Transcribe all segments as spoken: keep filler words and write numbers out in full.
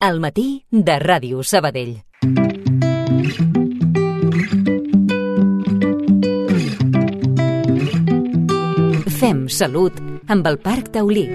Al matí de Ràdio Sabadell. Fem salut amb el Parc Taulí.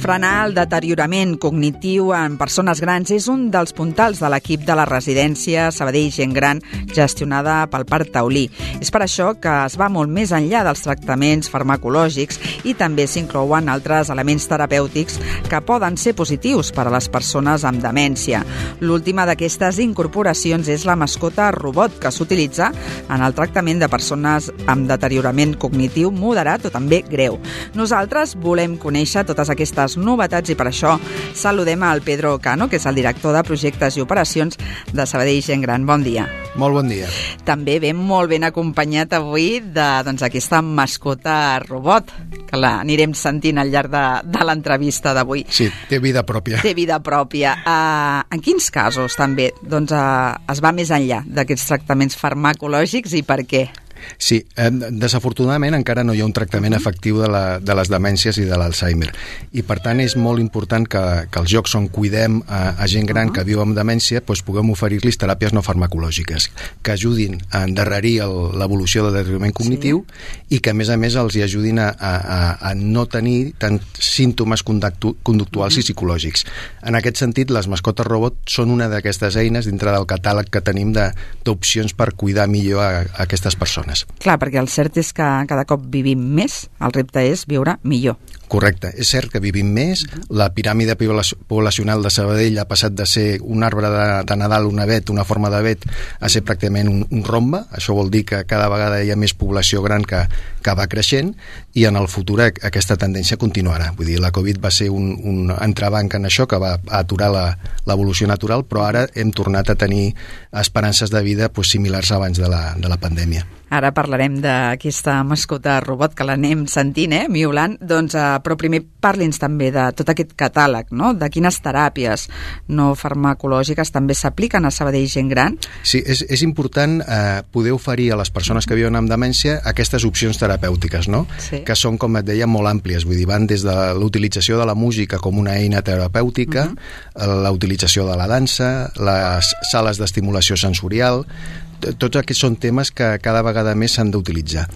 Frenar el deteriorament cognitiu en persones grans és un dels puntals de l'equip de la residència Sabadell Gent Gran gestionada pel Parc Taulí. És per això que es va molt més enllà dels tractaments farmacològics i també s'inclouen altres elements terapèutics que poden ser positius per a les persones amb demència. L'última d'aquestes incorporacions és la mascota robot que s'utilitza en el tractament de persones amb deteriorament cognitiu moderat o també greu. Nosaltres volem conèixer totes aquestes novetats i per això saludem al Pedro Cano, que és el director de projectes i operacions de Sabadell Gent Gran. Bon dia. Molt bon dia. També ben molt ben acompanyat avui de doncs, aquesta mascota robot, que l'anirem sentint al llarg de, de l'entrevista d'avui. Sí, té vida pròpia. Té vida pròpia. Uh, en quins casos també doncs, uh, es va més enllà d'aquests tractaments farmacològics i per què? Sí, eh, desafortunadament encara no hi ha un tractament efectiu de, la, de les demències i de l'Alzheimer i per tant és molt important que, que els llocs on cuidem a, a gent gran que viu amb demència doncs puguem oferir-los teràpies no farmacològiques que ajudin a endarrerir el, l'evolució del deteriorament cognitiu sí. i que a més a més els hi ajudin a, a, a no tenir tant símptomes conductu, conductuals uh-huh. i psicològics. En aquest sentit, les mascotes robot són una d'aquestes eines dintre del catàleg que tenim de, d'opcions per cuidar millor a, a aquestes persones. Clar, perquè el cert és que cada cop vivim més, el repte és viure millor. Correcte, és cert que vivim més, la piràmide poblacional de Sabadell ha passat de ser un arbre de, de Nadal, un avet, una forma d'avet, a ser pràcticament un, un rombe. Això vol dir que cada vegada hi ha més població gran que, que va creixent i en el futur aquesta tendència continuarà. Vull dir, la Covid va ser un, un entrebanc en això que va aturar la, l'evolució natural, però ara hem tornat a tenir esperances de vida pues, similars abans de la, de la pandèmia. Ara parlarem d'aquesta mascota robot que l'anem sentint, eh, miulant, doncs, eh, però primer parli'ns també de tot aquest catàleg, no? De quines teràpies no farmacològiques també s'apliquen a Sabadell Gent Gran. Sí, és, és important eh, poder oferir a les persones que viuen amb demència aquestes opcions terapèutiques, no? Sí. Que són, com et deia, molt àmplies, vull dir, van des de l'utilització de la música com una eina terapèutica, uh-huh. la utilització de la dansa, les sales d'estimulació sensorial. Tots aquests són temes que cada vegada més s'han d'utilitzar.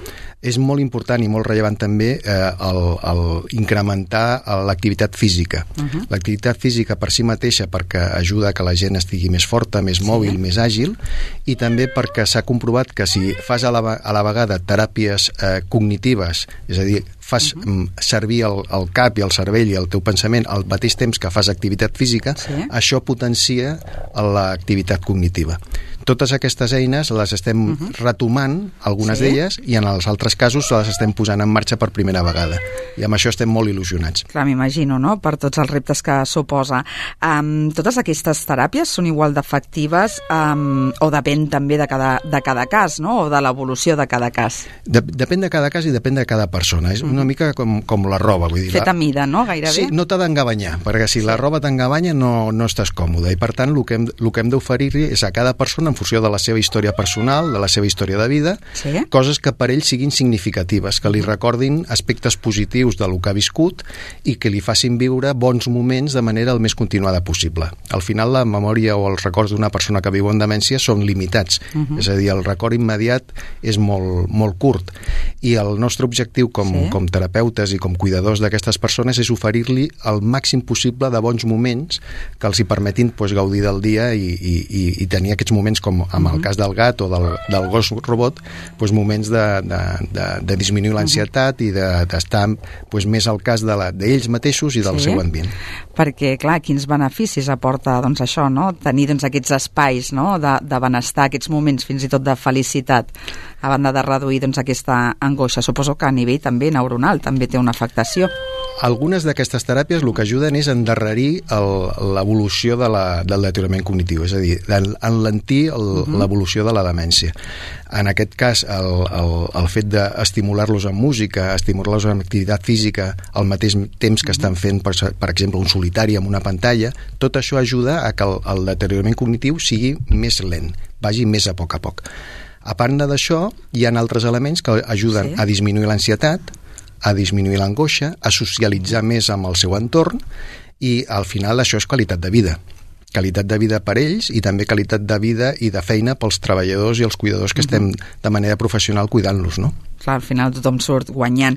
És molt important i molt rellevant també eh, el, el incrementar l'activitat física. Uh-huh. L'activitat física per si mateixa perquè ajuda a que la gent estigui més forta, més mòbil, sí. més àgil, i també perquè s'ha comprovat que si fas a la, a la vegada teràpies eh, cognitives, és a dir, fas uh-huh. servir el, el cap i el cervell i el teu pensament al mateix temps que fas activitat física, sí. això potencia l'activitat cognitiva. Totes aquestes eines les estem uh-huh. retomant, algunes sí. d'elles, i en els altres casos les estem posant en marxa per primera vegada. I amb això estem molt il·lusionats. Clar, m'imagino, no?, per tots els reptes que suposa. Um, totes aquestes teràpies són igual d'efectives um, o depèn també de cada, de cada cas, no?, o de l'evolució de cada cas? De, depèn de cada cas i depèn de cada persona. És una uh-huh. mica com, com la roba. Vull dir, fet la... a mida, no?, gairebé? Sí, no t'ha d'engabanyar, perquè si sí. la roba t'engabanya no, no estàs còmode. I per tant, el que hem, el que hem d'oferir és a cada persona en funció de la seva història personal, de la seva història de vida, sí? coses que per ell siguin significatives, que li recordin aspectes positius del que ha viscut i que li facin viure bons moments de manera el més continuada possible. Al final, la memòria o els records d'una persona que viu en demència són limitats, uh-huh. és a dir, el record immediat és molt, molt curt. I el nostre objectiu com, sí? com terapeutes i com cuidadors d'aquestes persones és oferir-li el màxim possible de bons moments que els hi permetin pues, gaudir del dia i, i, i, i tenir aquests moments com amb el cas del gat o del, del gos robot, doncs moments de, de, de, de disminuir l'ansietat i d'estar de, doncs, més al cas de la, d'ells mateixos i del sí? seu ambient. Perquè, clar, quins beneficis aporta doncs, això, no? Tenir doncs, aquests espais no? de, de benestar, aquests moments fins i tot de felicitat, a banda de reduir doncs, aquesta angoixa. Suposo que a nivell també neuronal també té una afectació. Algunes d'aquestes teràpies el que ajuden és endarrerir el, l'evolució de la, del deteriorament cognitiu, és a dir, enlentir el, uh-huh. l'evolució de la demència. En aquest cas, el, el, el fet d'estimular-los amb música, estimular-los amb activitat física al mateix temps que estan fent, per, per exemple, un solitari amb una pantalla, tot això ajuda a que el, el deteriorament cognitiu sigui més lent, vagi més a poc a poc. A part d'això, hi ha altres elements que ajuden sí. a disminuir l'ansietat, a disminuir l'angoixa, a socialitzar més amb el seu entorn, i al final això és qualitat de vida. Qualitat de vida per ells i també qualitat de vida i de feina pels treballadors i els cuidadors que estem de manera professional cuidant-los, no? Clar, al final tothom surt guanyant.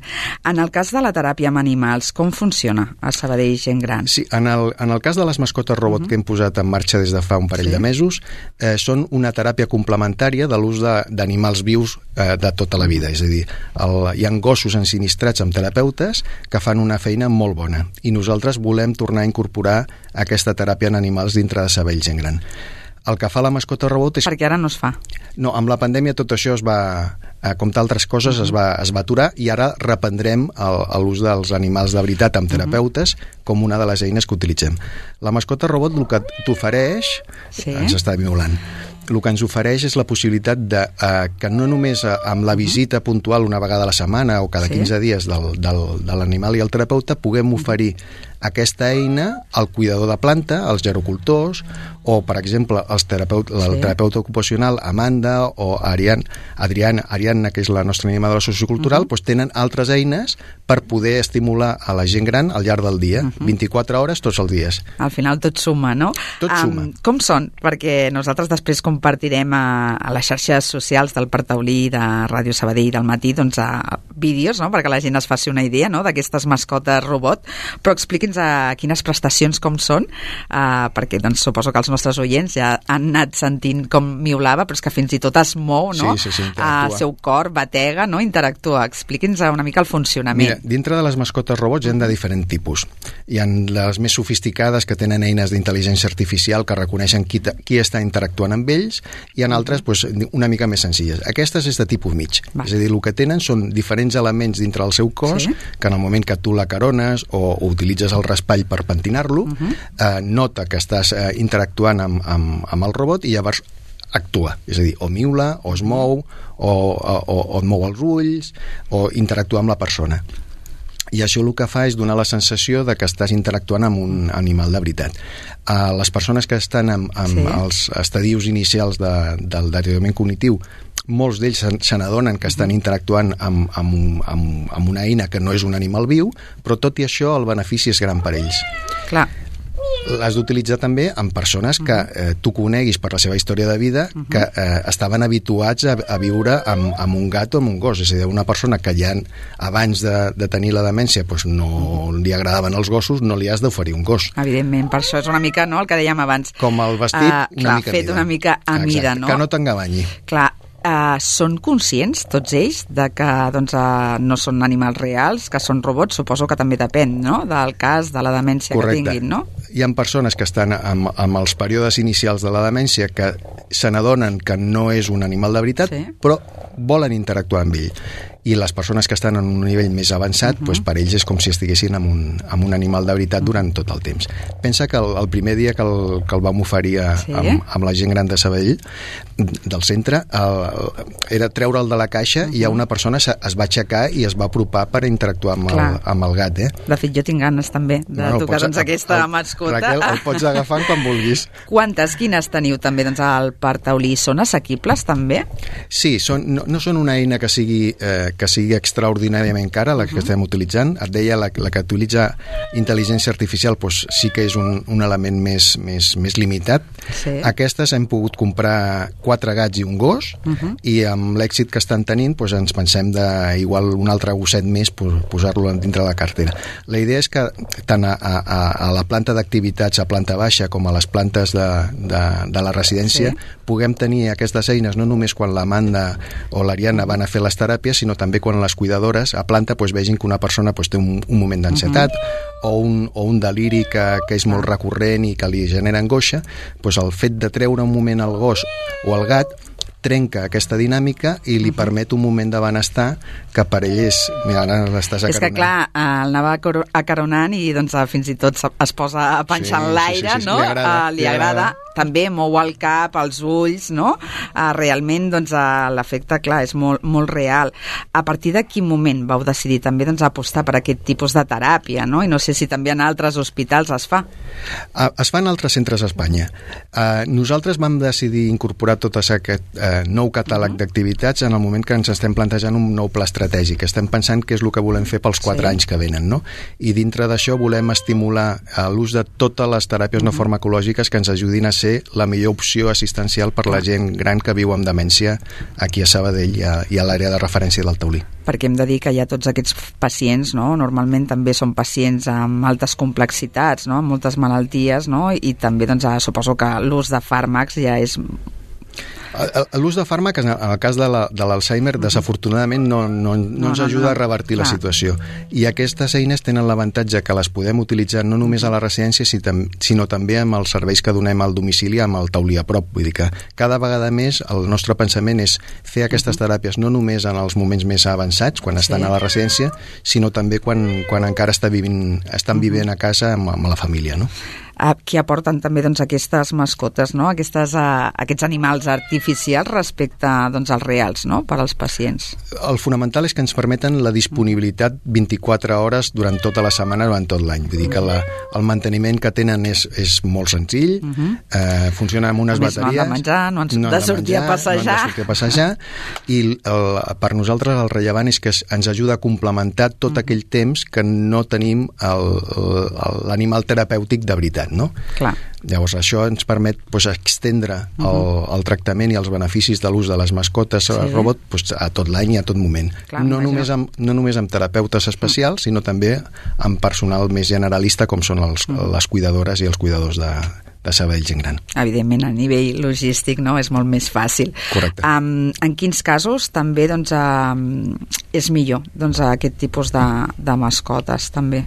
En el cas de la teràpia amb animals, com funciona a Sabadell Gent Gran? Sí, en el, en el cas de les mascotes robot uh-huh. que hem posat en marxa des de fa un parell sí. de mesos, eh, són una teràpia complementària de l'ús d'animals vius eh, de tota la vida. És a dir, el, hi ha gossos ensinistrats amb terapeutes que fan una feina molt bona i nosaltres volem tornar a incorporar aquesta teràpia en animals dintre de Sabadell Gent Gran. El que fa la mascota robot és... Perquè ara no es fa. No, amb la pandèmia tot això es va, eh, com d'altres coses, es va, es va aturar i ara reprendrem l'ús dels animals de veritat amb terapeutes com una de les eines que utilitzem. La mascota robot el que t'ofereix... Sí. Ens està violant. El que ens ofereix és la possibilitat de, eh, que no només eh, amb la visita puntual una vegada a la setmana o cada sí. quinze dies del, del, de l'animal i el terapeuta puguem oferir aquesta eina al cuidador de planta, als gerocultors o, per exemple, els terapeut, sí. el terapeuta ocupacional Amanda o Ariadna, Adriana, Ariadna, que és la nostra animadora sociocultural, uh-huh. doncs tenen altres eines per poder estimular a la gent gran al llarg del dia, uh-huh. vint-i-quatre hores tots els dies. Al final tot suma, no? Tot um, suma. Com són? Perquè nosaltres després compartirem a, a les xarxes socials del Parc Taulí, de Ràdio Sabadell del matí, doncs a vídeos, no?, perquè la gent es faci una idea, no?, d'aquestes mascotes robot, però expliqui'ns a quines prestacions com són, uh, perquè doncs suposo que els nostres oients ja han anat sentint com miulava, però és que fins i tot es mou, no? Sí, sí, sí, el seu cor batega, no? Interactua. Expliqui'ns una mica el funcionament. Mira, dintre de les mascotes robots hi ha de diferent tipus. Hi ha les més sofisticades que tenen eines d'intel·ligència artificial que reconeixen qui, qui està interactuant amb ells, i en altres pues, una mica més senzilles. Aquestes és de tipus mig. Va. És a dir, el que tenen són diferents elements dintre del seu cos, sí. que en el moment que tu la carones o, o utilitzes el raspall per pentinar-lo, uh-huh. eh, nota que estàs eh, interactuant amb, amb, amb el robot i llavors actua, és a dir, o miula, o es mou, o, o, o et mou els ulls, o interactua amb la persona. I això el que fa és donar la sensació de que estàs interactuant amb un animal de veritat. Uh, les persones que estan amb, amb sí. els estadius inicials de, del deteriorament cognitiu, molts d'ells se n'adonen que estan interactuant amb, amb, un, amb, amb una eina que no és un animal viu, però tot i això el benefici és gran per ells. Clar. L'has d'utilitzar també amb persones que eh, tu coneguis per la seva història de vida que eh, estaven habituats a, a viure amb, amb un gat o amb un gos. És a dir, una persona que ja abans de, de tenir la demència pues, no li agradaven els gossos, no li has d'oferir un gos. Evidentment, per això és una mica, no?, el que dèiem abans. Com el vestit, uh, una clar, mica fet mida. una mica a Exacte, mida, no? Que no t'engabanyi. Clar, Uh, són conscients, tots ells, de que doncs, uh, no són animals reals, que són robots? Suposo que també depèn, no?, del cas, de la demència Correcte. Que tinguin, no? Hi ha persones que estan amb, amb els períodes inicials de la demència que se n'adonen que no és un animal de veritat, sí. però volen interactuar amb ell. I les persones que estan en un nivell més avançat, uh-huh. doncs per ells és com si estiguessin amb un, amb un animal de veritat durant tot el temps. Pensa que el, el primer dia que el, que el vam oferir a, sí. amb, amb la gent gran de Sabadell, del centre, el, era treure'l de la caixa uh-huh. i ja una persona es, es va aixecar i es va apropar per interactuar amb, el, amb el gat. Eh? De fet, jo tinc ganes també de no, no, tocar doncs, aquesta el, mascota. Raquel, el pots agafar quan vulguis. Quantes, quines teniu també doncs, al Parc Taulí? Són assequibles també? Sí, són, no, no són una eina que sigui... Eh, que sigui extraordinàriament cara, la que uh-huh. estem utilitzant. Et deia, la, la que utilitza intel·ligència artificial pues, sí que és un, un element més, més, més limitat. Sí. Aquestes hem pogut comprar quatre gats i un gos, uh-huh. i amb l'èxit que estan tenint pues, ens pensem de igual un altre gosset més pues, posar-lo dintre de la cartera. La idea és que tant a, a, a la planta d'activitats, a planta baixa, com a les plantes de, de, de la residència, sí. puguem tenir aquestes eines no només quan l'Amanda o l'Ariadna van a fer les teràpies, sinó també quan les cuidadores a planta pues, vegin que una persona pues, té un, un moment d'ansietat uh-huh. o, un, o un deliri que, que és molt recurrent i que li genera angoixa, pues, el fet de treure un moment al gos o al gat trenca aquesta dinàmica i li uh-huh. permet un moment de benestar que per ell és... Mira, ara l'estàs acaronant. És que, clar, el anava acaronant i doncs, fins i tot es posa a panxar sí, en l'aire, sí, sí, sí, no? Li agrada. Uh, li, li agrada. agrada. també mou el cap, els ulls, no? Uh, realment, doncs, uh, l'efecte, clar, és molt, molt real. A partir de quin moment vau decidir també doncs, apostar per aquest tipus de teràpia, no? I no sé si també en altres hospitals es fa. Uh, es fa en altres centres a Espanya. Uh, nosaltres vam decidir incorporar tot aquest uh, nou catàleg uh-huh. d'activitats en el moment que ens estem plantejant un nou pla estratègic. Estem pensant què és el que volem fer pels quatre sí. anys que venen, no? I dintre d'això volem estimular uh, l'ús de totes les teràpies uh-huh. no farmacològiques que ens ajudin a ser la millor opció assistencial per la gent gran que viu amb demència aquí a Sabadell i a, i a l'àrea de referència del Taulí. Perquè hem de dir que hi ha tots aquests pacients, no? Normalment també són pacients amb altes complexitats, no? Amb moltes malalties, no? I també doncs, suposo que l'ús de fàrmacs ja és... L'ús de fàrmacs, en el cas de l'Alzheimer, la, desafortunadament no, no, no ens ajuda no, no. a revertir Clar. la situació. I aquestes eines tenen l'avantatge que les podem utilitzar no només a la residència, sinó també amb els serveis que donem al domicili amb el taulí a prop. Vull dir que cada vegada més el nostre pensament és fer aquestes teràpies no només en els moments més avançats, quan estan sí. a la residència, sinó també quan, quan encara està vivint, estan vivint a casa amb, amb la família, no? Que aporten també doncs, aquestes mascotes, no? Aquestes, uh, aquests animals artificials respecte doncs, als reals, no? Per als pacients. El fonamental és que ens permeten la disponibilitat vint-i-quatre hores durant tota la setmana, durant tot l'any. Vull dir que la, el manteniment que tenen és, és molt senzill, uh-huh. eh, funciona amb unes Només bateries... No han de menjar, no han no de sortir menjar, a passejar. No han de sortir a passejar, i el, per nosaltres el rellevant és que ens ajuda a complementar tot uh-huh. aquell temps que no tenim l'animal terapèutic de veritat. No? Clar. Llavors això ens permet pues, extendre el, uh-huh. el tractament i els beneficis de l'ús de les mascotes sí. robot pues, a tot l'any i a tot moment. Clar, no, només amb, no només amb terapeutes especials, uh-huh. sinó també amb personal més generalista com són els, uh-huh. les cuidadores i els cuidadors de, de Sabadell Gent Gran. Evidentment, a nivell logístic no, és molt més fàcil. Correcte. Um, en quins casos també doncs, um, és millor doncs, aquest tipus de, de mascotes també?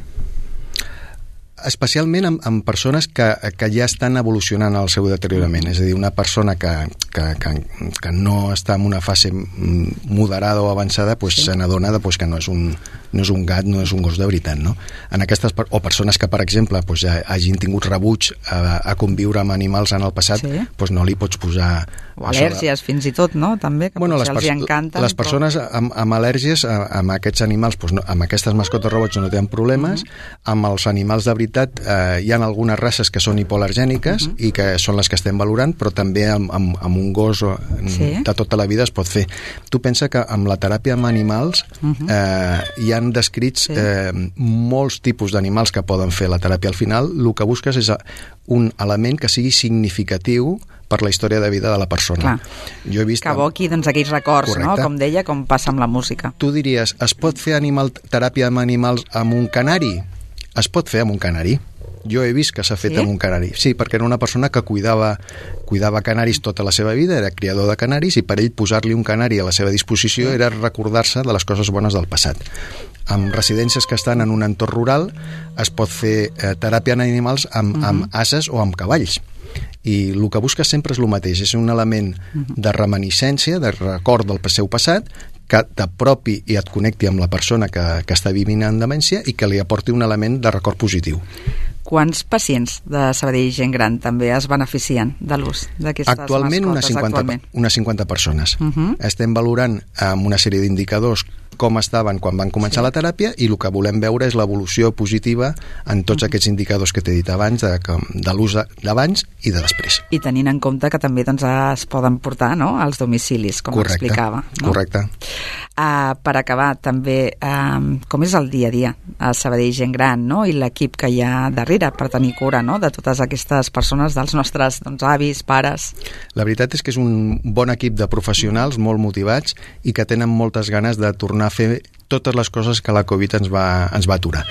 Especialment amb, amb persones que, que ja estan evolucionant el seu deteriorament, és a dir, una persona que, que, que, que no està en una fase moderada o avançada pues, sí. se n'adona pues, que no és, un, no és un gat, no és un gos de veritat, no? En aquestes, o persones que, per exemple, pues, ja hagin tingut rebuig a, a conviure amb animals en el passat, sí. pues, no li pots posar... O al·lèrgies, de... fins i tot, no? També, que bueno, potser els hi encanten. Les persones però... amb, amb al·lèrgies, amb aquests animals, pues, no, amb aquestes mascotes robots no tenen problemes, uh-huh. amb els animals de veritat eh, hi ha algunes races que són hipoal·lergèniques uh-huh. i que són les que estem valorant, però també amb, amb, amb un gos sí. de tota la vida es pot fer. Tu pensa que amb la teràpia amb animals uh-huh. eh, hi han descrits sí. eh, molts tipus d'animals que poden fer la teràpia. Al final, el que busques és un element que sigui significatiu per la història de vida de la persona. Clar. Jo he vist... Que evoqui doncs, aquells records, no? Com deia, com passa amb la música. Tu diries, es pot fer animal, teràpia amb animals amb un canari? Es pot fer amb un canari. Jo he vist que s'ha fet sí? amb un canari. Sí, perquè era una persona que cuidava, cuidava canaris tota la seva vida, era criador de canaris, i per ell posar-li un canari a la seva disposició era recordar-se de les coses bones del passat. Amb residències que estan en un entorn rural es pot fer eh, teràpia en animals amb, uh-huh. amb ases o amb cavalls. I el que busques sempre és el mateix, és un element de reminiscència, de record del seu passat, que t'apropi i et connecti amb la persona que, que està vivint en demència i que li aporti un element de record positiu. Quants pacients de Sabadell Gent Gran també es beneficien de l'ús d'aquestes actualment mascotes? Unes cinquanta, actualment unes cinquanta persones. Uh-huh. Estem valorant amb una sèrie d'indicadors com estaven quan van començar sí. la teràpia, i el que volem veure és l'evolució positiva en tots uh-huh. aquests indicadors que t'he dit abans, de, de l'ús d'abans i de després. I tenint en compte que també doncs, es poden portar no? als domicilis, com correcte, explicava. No? Correcte. Uh, per acabar, també, um, com és el dia a dia a Sabadell Gent Gran, no? I l'equip que hi ha darrere per tenir cura no? de totes aquestes persones, dels nostres doncs, avis, pares? La veritat és que és un bon equip de professionals molt motivats i que tenen moltes ganes de tornar a fer totes les coses que la Covid ens va, ens va aturar.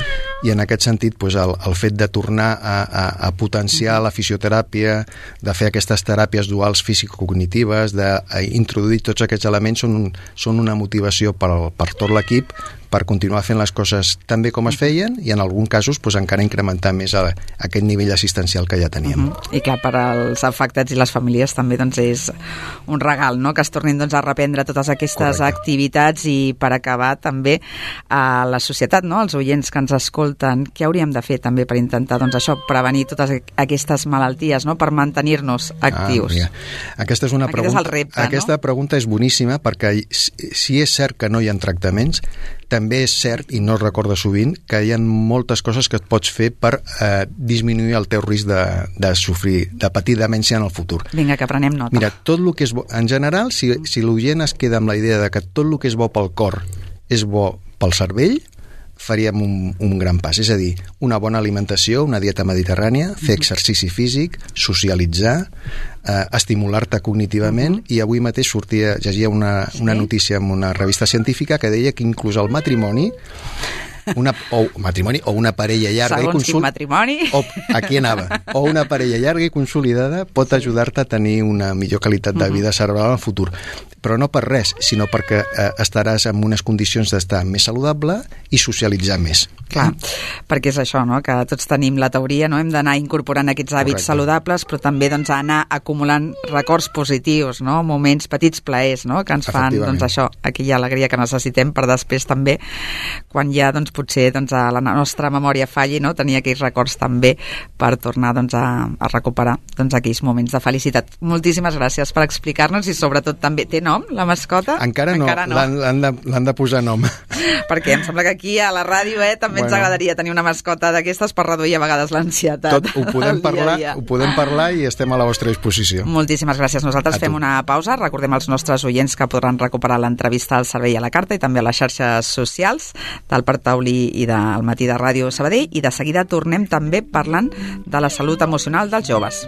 I en aquest sentit, doncs, el, el fet de tornar a, a, a potenciar la fisioteràpia, de fer aquestes teràpies duals físico-cognitives, d'introduir tots aquests elements, són, un, són una motivació per, per tot l'equip per continuar fent les coses tan bé com es feien i en alguns casos pues, encara incrementar més a, a aquest nivell assistencial que ja teníem. Uh -huh. I que per als afectats i les famílies també doncs, és un regal, no?, que es tornin doncs, a reprendre totes aquestes Correcte. activitats i per acabar també a la societat, no?, els oients que ens escolten, què hauríem de fer també per intentar doncs, això, prevenir totes aquestes malalties, no?, per mantenir-nos actius. Ah, aquesta és una Aquest pregunta, és el repte, aquesta no? pregunta és boníssima perquè si és cert que no hi ha tractaments, també és cert, i no es recorda sovint, que hi ha moltes coses que et pots fer per eh, disminuir el teu risc de, de sofrir, de patir demència en el futur. Vinga, que prenem nota. Mira, tot el que és bo, en general, si, si l'oient es queda amb la idea de que tot el que és bo pel cor és bo pel cervell, faríem un, un gran pas. És a dir, una bona alimentació, una dieta mediterrània, fer exercici físic, socialitzar, eh, estimular-te cognitivament, i avui mateix sortia, llegia una, una notícia en una revista científica que deia que inclús el matrimoni una, o matrimoni o una parella llarga Segons i consol... quin matrimoni. O, aquí anava. O una parella llarga i consolidada pot ajudar-te a tenir una millor qualitat de vida cerebral en el futur. Però no per res, sinó perquè eh, estaràs en unes condicions d'estar més saludable i socialitzar més. Clar, perquè és això, no?, que tots tenim la teoria, no?, hem d'anar incorporant aquests hàbits Correcte. saludables, però també doncs, anar acumulant records positius, no?, moments, petits plaers, no?, que ens fan, doncs això, aquella alegria que necessitem per després també, quan ja, doncs, potser doncs, a la nostra memòria falli, no?, tenir aquells records també per tornar doncs, a, a recuperar doncs, aquells moments de felicitat. Moltíssimes gràcies per explicar-nos i sobretot també té nom, la mascota? Encara no, Encara no. l'han de, l'han de posar nom. Perquè em sembla que aquí a la ràdio eh, també bueno, ens agradaria tenir una mascota d'aquestes per reduir a vegades l'ansietat. Tot ho podem, parlar, dia dia. ho podem parlar i estem a la vostra disposició. Moltíssimes gràcies. Nosaltres a fem tu. una pausa. Recordem als nostres oients que podran recuperar l'entrevista al Servei a la Carta i també a les xarxes socials del Parc Taulí i del Matí de Ràdio Sabadell, i de seguida tornem també parlant de la salut emocional dels joves.